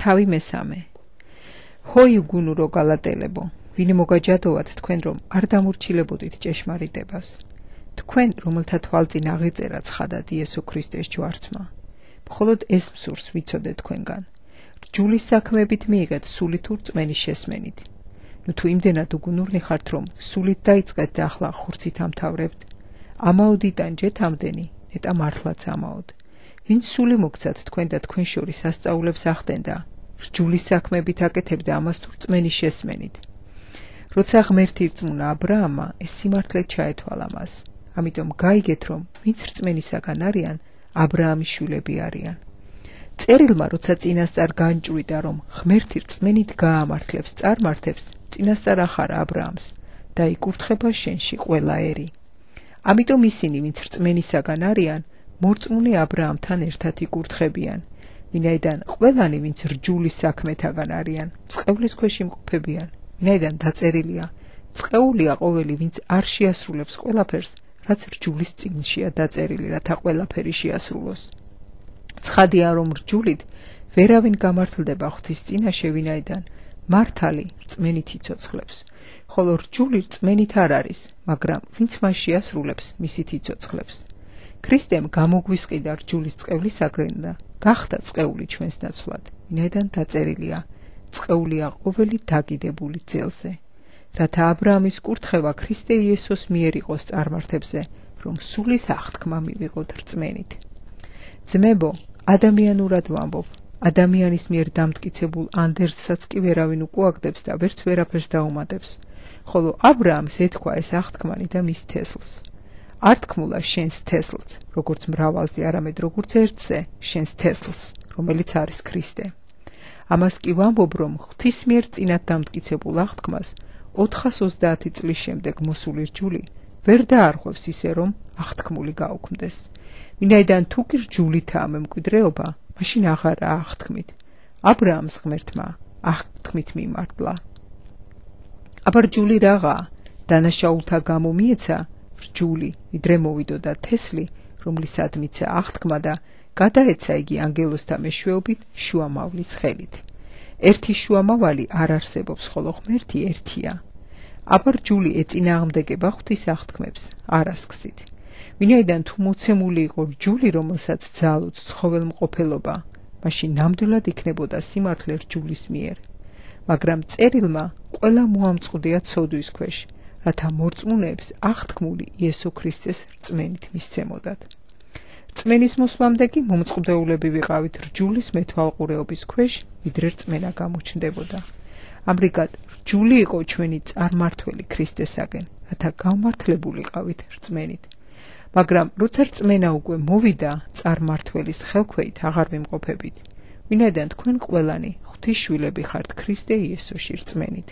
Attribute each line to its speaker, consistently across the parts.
Speaker 1: თავი მესამე. ჰოი უგუნურო გალატელებო, ვინი მოგაჯადოვათ თქვენ რომ არ დამორჩილებოდით ჭეშმარიტებას. თქვენ რომელთა თვალწინ აღიწერა ცხადად იესო ქრისტეს ჯვარცმა. მხოლოდ ეს მსურს ვიცოდეთ თქვენგან. რჯულის საქმეებით მიიღეთ სულით თუ რწმენის შესმენით. თუ იმდენად უგუნურნი ხართ რომ სულით დაიწყეთ და ახლა ხურცით ამთავრებთ, ამაოდიდან ჯეთ ამდენი, ნეტა მართლაც ამაოდ. ვინც სული მოგცათ თქვენ და თქვენ შორის სასწაულებს ახდენდა, რჯულის საქმეებით აკეთებდა ამას თუ რწმენის შესმენით. როცა ღმერთი ირწმუნა ა ブラ ამმა, ეს სიმართლე ჩაეთვალა მას. ამიტომ გაიგეთ რომ ვინც რწმენისაგან არიან, ა ブラ ამის შვილები არიან. წერილმა როცა წინასწარ განჭვრიდა რომ ღმერთი რწმენით გაამართლებს წარმართებს, წინასწარ ახარა ა ブラ ამს და იკურთხება შენში ყველა ერი. ამიტომ ისინი ვინც რწმენისაგან არიან, მორწმუნე ა ブラ ამთან ერთად იკურთხებიან, ვინაიდან ყველანი ვინც რჯულის საქმეთაგან არიან, წყევლის ქვეშ იმყოფებიან, ვინაიდან დაწერილია, წყეულია ყოველი ვინც არ შეასრულებს ყველაფერს, რაც რჯულის წიგნშია დაწერილი, რათა ყველაფერი შეასრულოს. ცხადია რომ რჯულით ვერავინ გამართლდება ღვთის წინაშე, ვინაიდან მართალი რწმენით იცოცხლებს, ხოლო რჯული რწმენით არ არის, მაგრამ ვინც მას შეასრულებს, მისით იცოცხლებს. ქრისტემ გამოგვისყიდა რჯულის წყევლისაგან და გახდა წყეული ჩვენს ნაცვლად, ვინაიდან დაწერილია, წყეულია ყოველი დაგიდებული ძელზე, რათა ა ブラ ამის კურთხევა ქრისტე იესოს მიერ იყოს წარმართებზე, რომ სულის აღთქმა მივიღოთ რწმენით. ძმებო, ადამიანურად ვამბობ, ადამიანის მიერ დამტკიცებულ ანდერძსაც კი ვერავინ უკუაგდებს და ვერც ვერაფერს დაუმატებს, ხოლო ა ブラ ამს ეთქვა ეს აღთქმანი და მის თესლს. არ თქმულა შენს თესლს, როგორც მრავალზე, არამედ როგორც ერთზე, შენს თესლს, რომელიც არის ქრისტე. ამას კი ვამბობ, რომ ღვთის მიერ წინათ დამტკიცებულ აღთქმას 430 წლის შემდეგ მოსული რჯული ვერ დაარღვევს ისე, რომ აღთქმული გაუქმდეს. ვინაიდან თუ კი რჯულითაა მემკვიდრეობა, მაშინ აღარაა აღთქმით. ა ブラ ამს ღმერთმა აღთქმით მიმართლა. აბა რჯული რაღაცა? დანაშაულთა გამო მიეცა რჯული, ვიდრე მოვიდოდა თესლი, რომლისად მიცა აღთქმა და გადაეცა იგი ანგელოზთა მეშვეობით შუამავლის ხელით. ერთი შუამავალი არ არსებობს, ხოლო ღმერთი ერთია. აბა რჯული ეწინააღმდეგება ღვთის აღთქმებს, არასქსით. ვინაიდან თუ მოცემული იყო რჯული, რომელსაც ძალუც ცხოველმყოფელობა, მაშინ ნამდვილად იქნებოდა სიმართლე რჯულის მიერ. მაგრამ წერილმა ყველა მოამწყდია ცოდვის ქვეშ, რათა მორწმუნეებს აღთქმული იესო ქრისტეს რწმენით მისცემოდათ. რწმენის მოსვლამდე კი მომწყდეულები ვიყავით რჯულის მეთვალყურეობის ქვეშ, ვიდრე რწმენა გამოჩნდებოდა. ამრიგად რჯული იყო ჩვენი წარმართველი ქრისტესაგენ, რათა გამართლებულიყავით რწმენით. მაგრამ როცა რწმენა უკვე მოვიდა, წარმართველის ხელქვეით აღარ ვიმყოფებით, ვინაიდან თქვენ ყველანი ღვთის შვილები ხართ ქრისტე იესოში რწმენით.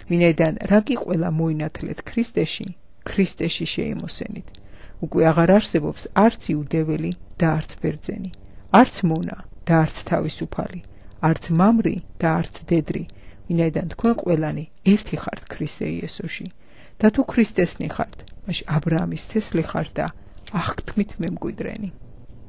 Speaker 1: ვინაიდან რა კი ყველა მოინათლეთ ქრისტეში, ქრისტეში შეიმოსენით. უკვე აღარ არსებობს არც იუდეველი და არც ბერძენი, არც მონა და არც თავისუფალი, არც მამრი და არც დედრი, ვინაიდან თქვენ ყველანი ერთი ხართ ქრისტე იესოში. და თუ ქრისტესნი ხართ, მაშინ ა ブラ ამის თესლი ხართ და აღთქმით მემკვიდრენი.